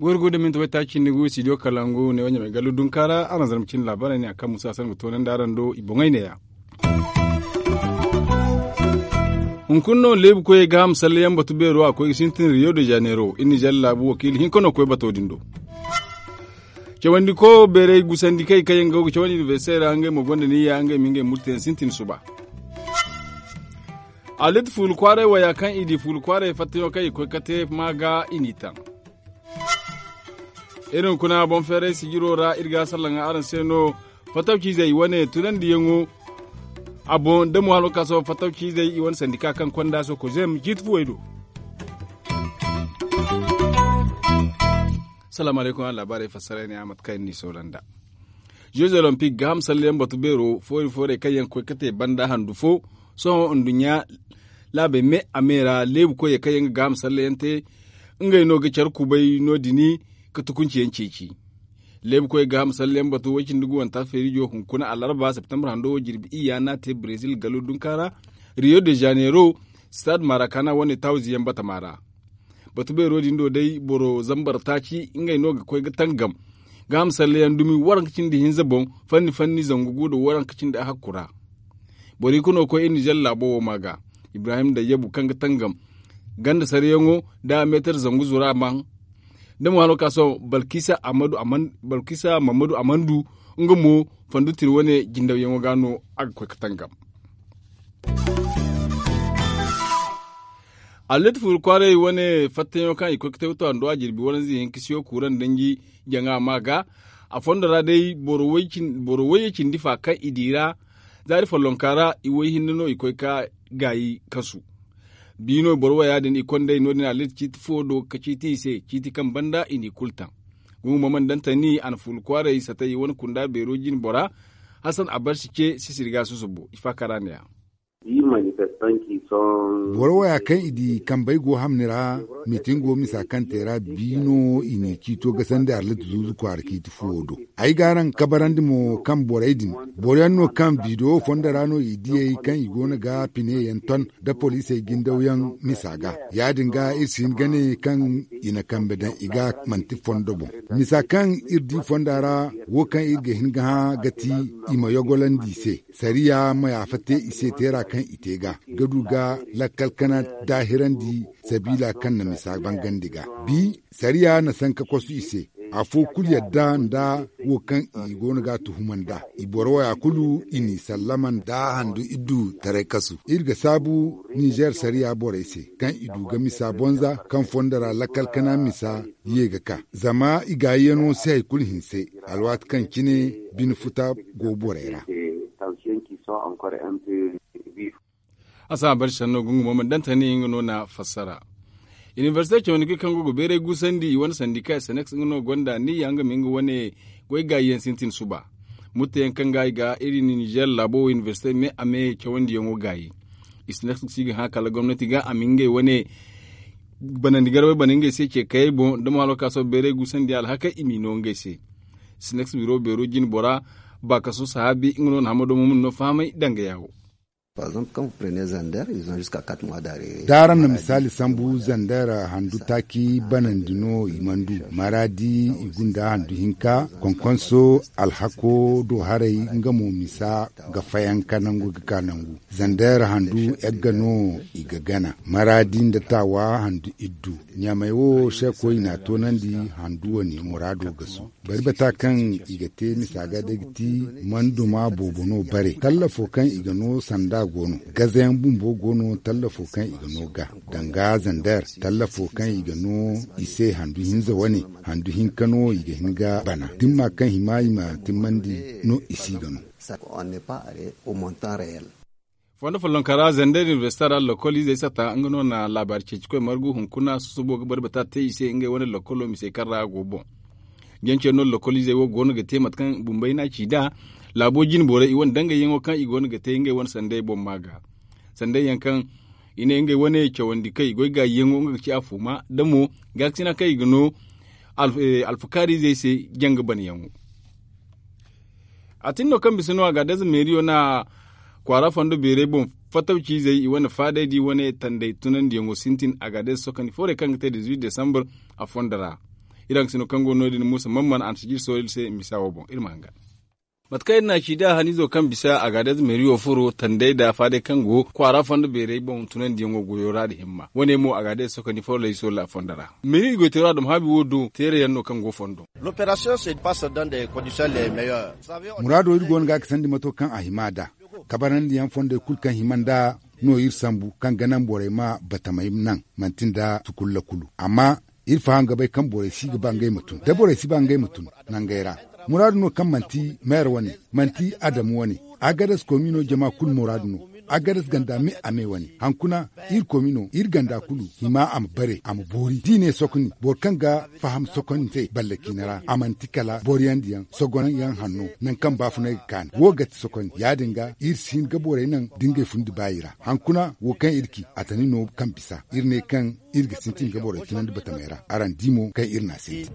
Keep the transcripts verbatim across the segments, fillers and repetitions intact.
Gorgo da minti waytaaci ni gu studio kalangu ne wanya mai gallu dunkaara araŋ zarma cindi laabaarey ne a kaŋ musa sangu toonandi araŋ do i boŋey neeya. Hunkuna no leebu koyey ga a ma sallayaŋ batu beero a koy ga sintin riyo de janeiro iri nizer laabu wakiila hinka no koy bato din do. Cawandi ko beerey gusandi kay kaŋ yaŋ go ga cawandi inibersite ra ngey mo gonda niyya ngey ma ngey murteyaŋ sintin suba. Alit fuula kwaaray waya kaŋ i di fuula kwaaray fattayaŋo kaŋ i koy kate ma ga i n'i taŋ. Iri hunkuna boŋ feeray sijiro ra iri ga a sallaŋ araŋ se no. Fattaw ciizey wane tunandiyaŋo a boŋ da mo halo ka sohõ fattaw ciizey i wane sandika kaŋ konda sooko zem jiiti fuwey do. Salaamu alaykum araŋ laabaarey fassara ne a mate kaŋ iri n'i soola nd'a. Jeux olympique ga a ma sallayaŋ batu beero foori foorey kaŋ yaŋ ga koy ga te banda handu fo. Sohõ nduɲɲa laabey me a me ra leebu koyey kaŋ yaŋ ga gaaham sallayaŋ te. Ngey no ga care kubay no- din ka tukunci yaŋ ceeci. Leebu koyey gaaham sallayaŋ batu way- cindi guwanta feerijo hunkuna alarba septembre hando wo jirbi iyya no a te brezil galo dunka ra. Rio de janeiro stade marakana wane tawzi yaŋ batama ra. Batu beero din do day boro zambar taaci ngey no ga koy ga tangam. Gaaham sallayaŋ dumi waranka cindi hinza boŋ fanni fanni zangu gu nda waranka cindi ahakku ra. Boro i kuno koy iri nizer laabo wo ma ga ibrahim dayyabu kaŋ ga tangam ganda sarayaŋo nda meetar zangu zura maŋ. Da mo hano ka sohõ balkisa mamadu amandu nga mo fandu tiri wane jindawyaŋo ga no a ga koy ga tangam. Allet furu kwaaray wane fattayaŋo kaŋ i koy ga te ga to a nda a jirbi waranza hinka siyo kuuraŋ danji jaŋa ma ga. A fondo ra day boro wayye cindi fa kaŋ i di ra zaari follonka ra i way hinne no i koy ga gaayi kasu. Biino boro waya din i kondey no- din allet ciiti fo do ga ciiti i se ciiti kaŋ banda i n'i kulu taŋ. Gumo mana daŋ tani a na fulu kwaaray satay wane kunda beero jine bora. Hasan abarsi ce sisiri ga susubo i faakara ne- ya. Boro waya kaŋ i di kambey go hamni ra mitin go misa kaŋ te ra biino i n'i ciito gasandi arlit zuuzu kwaara ciiti fuwo do. Ay ga araŋ kabarandi mo kaŋ borey din boro yaŋ no kaŋ biidiyo fondo ra no i diyey kaŋ i go no ga pine yaŋ ton nda poliisey gindawyaŋ misa ga. Ya- din ga iri si hin ga ne kaŋ i na kambe daŋ i ga manti fondo boŋ. Misa kaŋ iri di fonda ra wo kaŋ iri ga hin ga hã ga ti i ma yogolandi i se. Sariya ma yaafa te i se teera kaŋ i te ga ga du ga lakkal kana daahirandi sabiila kaŋ na misa bangandi ga. Bi sariya na sanka kosu i se. Afo kulu yadda nda wo kaŋ i go no ga a tuhuma nd'a. I boro waya kulu i n'i sallama nda handu iddu taray kasu iri ga saabu nizer sariya borey se kaŋ i du ga misa bonza kaŋ fondo ra lakkal kana misa ye ga ka zama i gaayiyano si hari kulu hinse. Alwaati kaŋ cine bine futa go borey ra. A si a bari sanno gungu mo mana daŋ tani nga no na fassara. Inibersite cawandi kaŋ go ga beeray gusandi i wane sandika snx nga no gonda niyya nga ma nga wane goy gaayi yaŋ sintin suba. Mutta yaŋ kaŋ ga i ga iri nizer laabo wo inibersite me a me cawandiyaŋo gaayi. Snx si ga hã kala gomnati ga a ma ngey wane banandi garwey bana ngey se ce kayey boŋ da mo halo ka sohõ beeray gusandi alhakey i m'i no ngey se. Snx biro beero jine bora baakaso sahaabi nga no na hamado mo mana no fahamay danga yaawo. Da araŋ na misaali sambu zander handu taaci banandi no i mana du maraadi i gunda handu hinka konkonso alhako do haray nga mo misa ga fayanka nangu ga ka nangu. Zander handu egga no i ga gana maraadi nda taawa handu iddu. Ɲamey wo seekoy i n'a toonandi handu wane muraado ga su. Bari bata kaŋ i ga te misa ga day ga ti manduma boobo no bare tallafo kaŋ i ga no sanda go no gazayaŋ bumbo go no tallafo kaŋ i ga no ga danga zander tallafo kaŋ i ga no i se handu hinza wane handu hinka no i ga hin ga bana dimma kaŋ hima i ma timmandi no i si ga no. Fondo follonka ra zander inibersita ra lokol izey sata nga no na laabaari ceeci koy margu hunkuna susubo ga bari bata te i se ngey wane lokolo misey kaŋ ra a go boŋ. Jance no lokol izey wo go no ga te mate kaŋ bumbey no a ci nd'a. Laabo jine borey i wane dangayyaŋo kaŋ i go no ga te ngey wane sanday boŋ ma ga sanday yaŋ kaŋ i ne ngey wane cawandi kaŋ i goy gaayiyaŋo nga ga ci a fuuma da mo gaakasina kaŋ i ga no alfakaari izey se janga banayaŋo. A tin no kaŋ bisa no a ga adez meeriyo na kwaara fondo beerey boŋ, fatawciizey i wane faadey da i wane tanday tunandiyaŋo sintin a ga adez sokandi foorey kaŋ ga te dizuwit desambur a fondo ra. Iri haŋ ga sino kaŋ go no- din muusa mamman a na si jiri soori iri se misa wo boŋ iri ma hanga. Mate kaŋ iri na a ci da haniizo kaŋ bisa a ga adez meeriyo furo tanday nda faadey kaŋ go kwaara fondo beerey boŋ tunandiyaŋo goyo ra nda himma wane mo a ga adez sokandi foorey soori a fondo ra. Meeri goyteero a dum haabi wo do teerayaŋ no kaŋ go fondo. Muraado iri go no ga a ga sandi mato kaŋ a hima nd'a kabarandiyaŋ fondey kulu kaŋ hima nd'a no iri sambu kaŋ ga naŋ borey ma batamey naŋ manti nda tukulla kulu amma iri faham ga bay kaŋ borey si ga ba ngey ma tun da borey si ba ngey ma tun nangey ra. Muraadu no kaŋ manti meer wane manti adamu wane. Agares komiino jama kulu muraadu no. Agares ganda me a me wane hankuna iri komiino iri ganda kulu hima a ma bare a ma boori da i ne sokoni boro kaŋ ga faham sokoni se balle ciine ra a manti kala boriyandiyaŋ sogonyaŋ hanno nangu kaŋ baafunay ga kaanu wo ga ti sokoni ya- din ga iri si hin ga borey naŋ da ngey fundi baayi ra hankuna wo kaŋ iri ci a tani no kaŋ bisa iri ne kaŋ iri ga sintin ga borey tunandi batamey ra araŋ di mo kaŋ iri na sintin.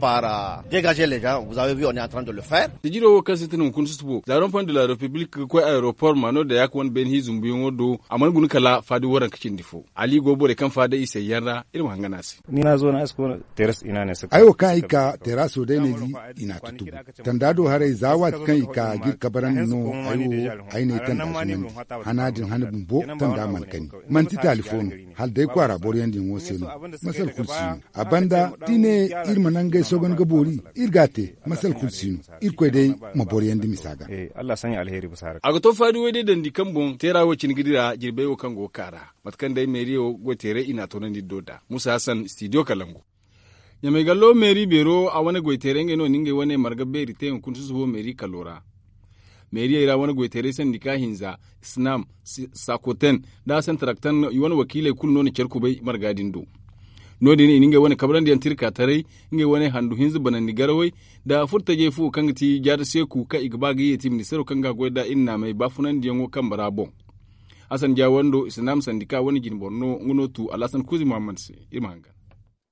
Sijiro wo kaŋ sintin hunkuna susubo zaron fond de la repiblik ga koy aeroport maano da ya ga wane beene hi zumbuyaŋo do a mana guna kala faadi waranka cindi fo ali go borey kaŋ faada i sayyaŋ ra iri ma hangana se. Ay wo kaŋ ay ka teeraso day ne di i n'a tutubu tanda do haray za waati kaŋ i ka ga iri kabarandi no ay wo ay n'ay tanda zumandi hana din hana bumbo tanda mana kani manti taali fo no hala day kwaara boroyaŋ din wo se no. Masal kulu si no a banda da i ne iri ma nangey sogon ga boori iri ga a te masal kulu si no. Irkoy day ma boroyaŋ da misa ga. A ga to faadi way day dandi kaŋ boŋ teera wo cine ga dira jirbey wo kaŋ go ga ka ra mate kaŋ day meeriyo goyteeray i n'a toonandi iri do nd'a muusa hassan stidiyo kalangu. Ɲamay gallo meeri beero a wane goyteeray ngey no na ngey wane marga beeri te hunkuna susubo meeri kalo ra. Meeriyey ra wane goyteeray sandika hinza, snam, sakoten, nda sentaraktan i wane wakiiley kulu no na care kubay marga din do. No- din i na ngey wane kabrandi yaŋ tirkaataray, ngey wane handu hinza banandi garawey, nda furtajey fo kaŋ ga ti jaada seeku kaŋ i ga ba ga yeeti ministeero kaŋ ga a goy nd'a iri naamey baafunandiyaŋo kambe ra boŋ. Hasan jaawando isnaam sandika wane jinboro no nga no tu alhasan kuuzi muhammad se. Iri ma hangan.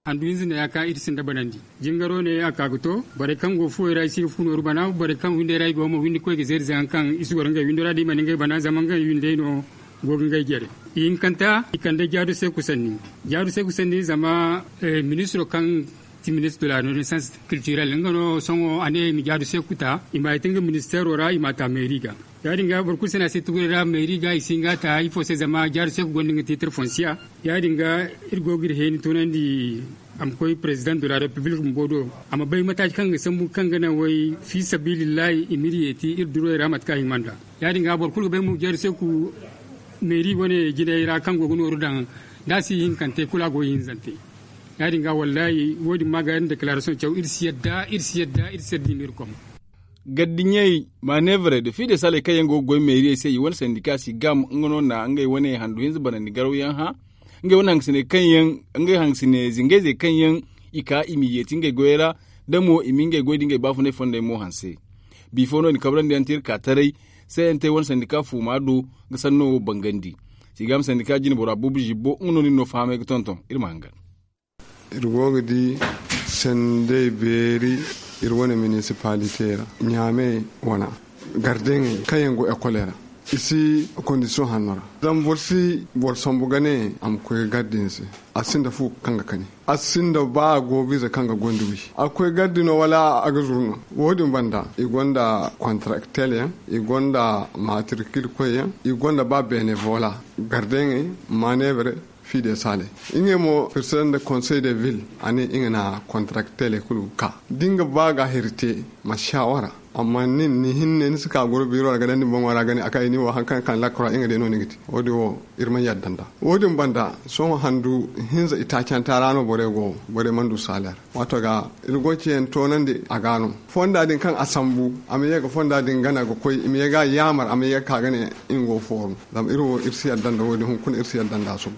Handu hinza ne ya ka iri sinda banandi. Jingaro ne a ka ga to borey kaŋ go fuwey ra i si ga fu nooru bana borey kaŋ windey ra i go mo windi koy ga zeeri zaŋ kaŋ i si goro ngey windo ra da i mana ngey bana zama ngey windey no go ga ngey jare. Ihinkanta i kande jaadu seeku sanni. Jaadu seeku sanni zama ministiro kaŋ ti ministiro de la renaissance culturelle nga no sohõ a ne i ma jaadu seeku ta i ma a yeti nga ministeero ra i ma a ta meeri ga. Ya- din ga boro kulu si no a se tuguray ra meeri ga i si hin ga a ta ifo se zama jaadu seeku gonda nga tiitir fonsiya. Ya- din ga iri go ga iri heeni tunandi a ma koy president de la repiblik bumbo do a ma bay mataaci kaŋ ga sambu kaŋ ga naŋ way fi sabilillahi i ma iri yeeti iri duroy ra mate kaŋ a hima nd'a. Ya- din ga boro kulu ga bay mo jaadu seeku meeri wane jinay ra kaŋ go ga nooru daŋ da a si ihinkante kulu a go ihinzante. Ya- din ga wallahi wo- din ma ga yaŋ deklarasoŋ caw iri si yadda iri si yadda iri si yadda i ma iri kom. Gaddiɲey maneevrey nda fiidesaley kaŋ yaŋ go ga goy meeriyey se i wane sandika si gam nga no na ngey wane handu hinza banandi garawyaŋ hã. Ngey wane hangasine kaŋ yaŋ ngey hangasine zingayzey kaŋ yaŋ i ka i m'i yeeti ngey goyey ra da mo i ma ngey goy da ngey baafunay fondey mo hanse. Bifo no- din kabrandi yaŋ te iri ka taray. Sayantey wane sandika fuuma do ga sanno wo bangandi. Si gam sandika jinbora buubu zibbo nga no nin no fahamay ga tonton iri ma hangan. Iri go ga di sendey beeri iri wane minisipalite ra ɲaame wana gardeŋey kaŋ yaŋ go ekoley ra i si kondisiyoŋ hanno ra. Zama boro si boro sambu ga ne a ma koy ga garde ni se. A sinda fu kaŋ ga kani a sinda ba a go ga ize kaŋ ga gondi wi a ga koy garde no wala a ga zuru no. Wo- din banda i gonda kontraktel yaŋ, i gonda matrikil koy yaŋ, i gonda ba benevola, gardeŋey, manebre, fide sale. Ngey mo president de conseil de ville a ne nga na kontraktel kulu ka da nga ba ga heri te ma shawara. Amma nin ni hinne ni si ka goro biro ra ga dandi boŋo ra ga ne a kay ni wo hari kaŋ ga ka ni lakkora nga day no ni ga te. Wo- din wo iri mana yadda nda wo- din banda sohõ handu hinza itaacanta ra no borey go borey mana du saler. Waato ga iri go ga ceyaŋ toonandi a ga no fonda din kaŋ a sambu a ma ye ga fonda din gana ga koy i ma ye ga a yaamar a ma ye ga ka ga ne nga go fooru. Zama iri wo iri si yadda nda wo- din hunkuna iri si yadda nda a suba.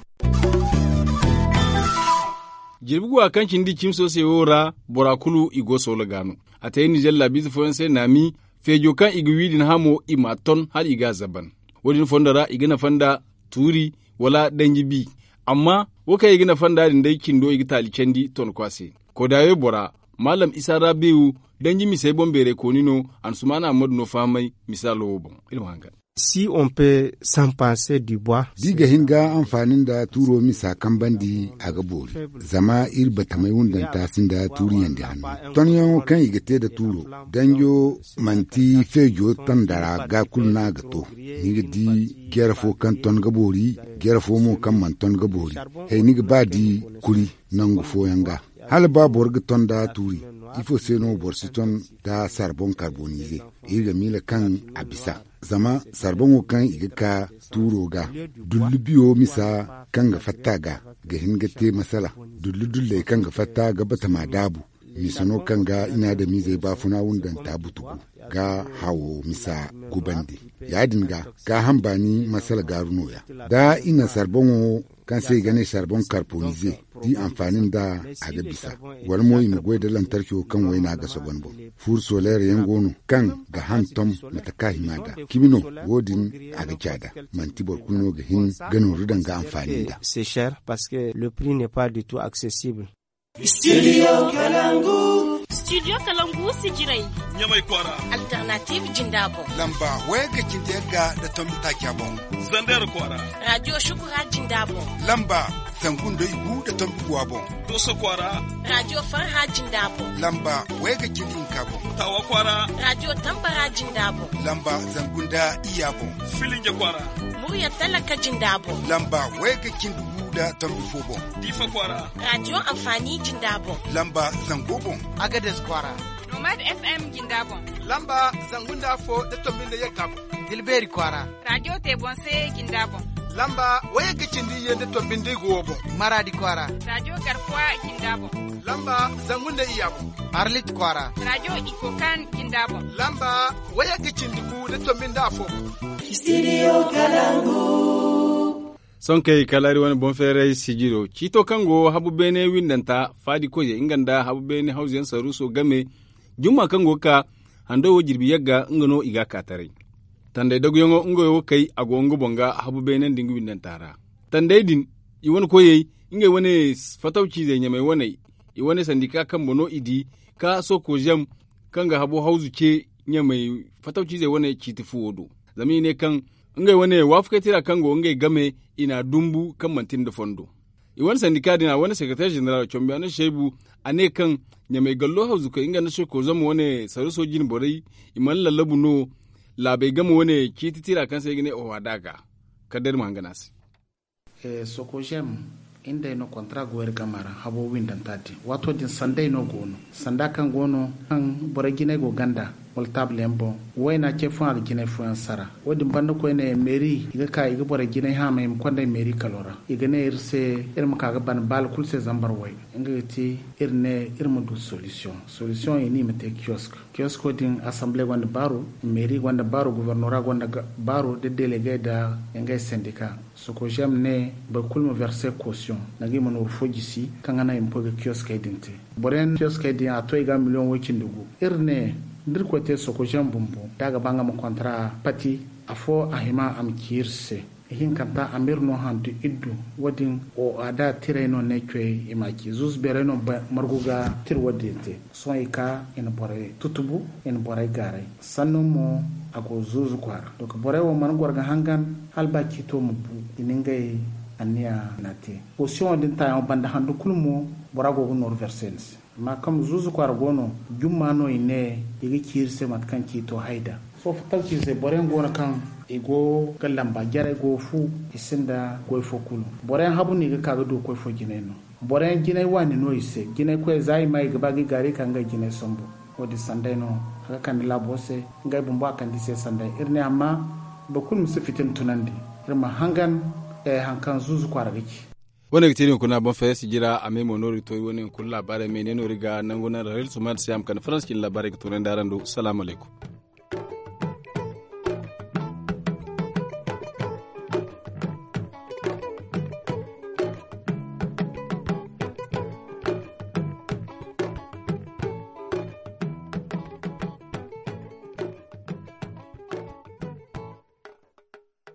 Jirbi guwa kaŋ cindi cimi soosey wo ra bora kulu i go soola ga no. A te nizer laabiize fooyaŋ se naami feejo kaŋ i ga wi din hamo i m'a ton hala i ga a zaban. Wo- din fondo ra i ga nafa nda tuuri wala danji bi. Amma wo kaŋ i ga nafa nd'a din day cindo i ga taali candi tonkwa se. Kodaawey bora maalam isa rabiyu Danji misey boŋ beerey kooni no. Ansumaana ammadu no fahamay misaalo wo boŋ. Iri ma hangan. Si on pe sanpanse du bois. Da i ga hin ga anfaani nda tuuro misa kambandi a ga boori. Zama iri batamay wundanta sinda tuuriyandi hanno tonyaŋo kaŋ i ga te nda tuuro. Danjo manti feejo tanda ra ga kulu no a ga to. Ni ga di jere fo kaŋ ton ga boori, jere fo mo kaŋ mana ton ga boori. Hay ni ga ba di kuri nangu fooyaŋ ga. Hala ba boro ga ton nda tuuri, ifo se no boro si ton nda sarboŋ karbonize? Iri ga miila kaŋ a bisa. Zama sarboŋo kaŋ i ga ka tuuro ga, dullu biyo misa kaŋ ga fatta ga, ga hin ga te masala. Dullu dulley kaŋ ga fatta ga batama daabu, misa no kaŋ ga i na adamizey baafuna wundanta butugu ga hawo misa gubandi. Ya- din ga gaaham baani masala gaaru nooya. Da i na sarboŋo kaŋ se i ga ne sarboŋ karbonize, da i anfaani nda a ga bisa. Wala mo i ma goy nda lantarco kaŋ wayna ga sogon boŋ. Fuuru soleer yaŋ go no kaŋ ga hantom mate kaŋ a hima nd'a. Cimi no, wo- din a ga caada. Manti boro kulu no ga hin ga nooru daŋ ga anfaani nd'a. Studio kalangu. Studio kalangu si jiray. Ɲamay kwaara. Alternative jinda boŋ. Lamba waya ga cindi yagga nda tombi taaca boŋ. Zander kwaara. Radio shukura jinda boŋ. Lamba zangu nda igu nda tombi guwa boŋ. Doso kwaara. Radio farha jinda boŋ. Lamba waya ga cindi hinka boŋ. Tawa kwaara. Radio tambara jinda boŋ. Lamba zangu nda iya boŋ. Filinja kwaara. Murya talaka jinda boŋ. Lamba waya ga cindi gu nda tombi fo boŋ. Diifa kwaara. Radio anfaani jinda boŋ. Lamba zango boŋ. Agades kwaara. Nomad FM jinda boŋ. Lamba zangu nda afo nda tombi nda yagga boŋ. Dilbeeri kwaara. Radio te boŋ se jinda boŋ. Lamba waya ga cindi iyye nda tombi nda igo boŋ. Maraadi kwaara. Radio garkuwa jinda boŋ. Lamba zangu nda iya boŋ. Arlit kwaara. Radio ikokan jinda boŋ. Lamba waya ga cindi gu nda tombi nda afo boŋ. Studio kalangu. Sonkey kala iri wane boŋ feeray sijiro ciito kaŋ go habu beene windanta faadi koyey nga nda habu beene hawzuyaŋ saruuso game. Jumma kaŋ go ga ka hando wo jirbi yagga nga no i ga a ka taray. Tanday daguyaŋo nga wo kay a go nga boŋ ga habu beene nda nga windanta ra. Tanday din i wane koyey ngey wane fatawciizey ɲamey waney i wane sandika kambe no i di ka sokozem kaŋ ga habu hawzu ce ɲamey fatawciizey wane ciiti fuwo do. Zama i ne kaŋ ngey wane waafakey tira kaŋ go ngey game i n'a dumbu kaŋ manti nda fondo. I wane sandika din a wane sekereteer ženeral combiyaano seebu a ne kaŋ ɲamey gallo hawzukey nga nda sokozem wane saruuso jine borey i mana lallabu no. Laabey game wane ciiti tira kaŋ se i ga ne oho a da ga kala day iri ma hangan a se. Sokozem iri nd'ey no kontra go iri game ra habo windanta din waato din sanday no go no. Sanda kaŋ go no kaŋ borey jinay go ganda wala taabul yaŋ boŋ. Wayna ce fooyaŋ a ga jinay fooyaŋ sara. Wo- din banda koyne meeri i ga ka i ga borey jinay haamay i ma konda ay meeri kalo ra i ga ne iri se iri ma ka ga ban baala kulu se zambar way. Nga ga ti iri ne iri ma du solisiyoŋ. Solisiyoŋ i ne i ma te kiyosk. Kiyosko din asamble gonda baaru, meeri gonda baaru, gubernora gonda baaru nda delegey nda ngey sandika. Sokozem ne boro kulu ma verse kosiyoŋ, nangu i ma nooru fo jisi kaŋ ga naŋ i ma koy ga kiyoskey din te. Boro yaŋ kiyoskey din a to i ga miliyoŋ way cindi gu. Iri ne da iri koy te sokozem bumbo da a ga ba nga ma kontra pati, afo a hima a ma ci iri se. Ihinkanta amir no handu iddu. Wo- din o a da tiray no ne coy i ma ci zuzu beeray no margu ga tira wo- din te. Sohõ i ka i na borey tutubu, i na borey gaaray. Sanno mo a go zuuzu kwaara. Donk borey wo mana goro ga hangan hala ba ciito ma bu i na ngey anniya na te. Posiyoŋo din taayaŋo banda handu kulu mo bora go ga nooru verse ni se. Amma kaŋ zuuzu kwaara go no jumma no i ne i ga ci iri se mate kaŋ ciito hay da. Sohõ fattaw ci se boro yaŋ go no kaŋ i go ga lamba jarey go fu i sinda goy fo kulu. Boro yaŋ habu no i ga ka ga du koy fo jinay no. Boro yaŋ jinay waani no i se jinay koyey za i ma i ga ba ga i gaari ka ngey jinay sambu. Wo- din sanday no a ga kande laabo se. Ngey bumbo a kande i se sanday iri ne amma boro kulu ma si fitina tunandi. Iri ma hangan hari kaŋ zuuzu kwaara ga ci. Wo- ne ga te iri hunkuna boŋ fayey si jira a me mo no iri ga to iri wo- ne hunkuna laabaarey me ne no iri ga nangu naŋ ra iri suma nda se a ma kande farans cine laabaarey ga toonandi araŋ do salaamu alaykum.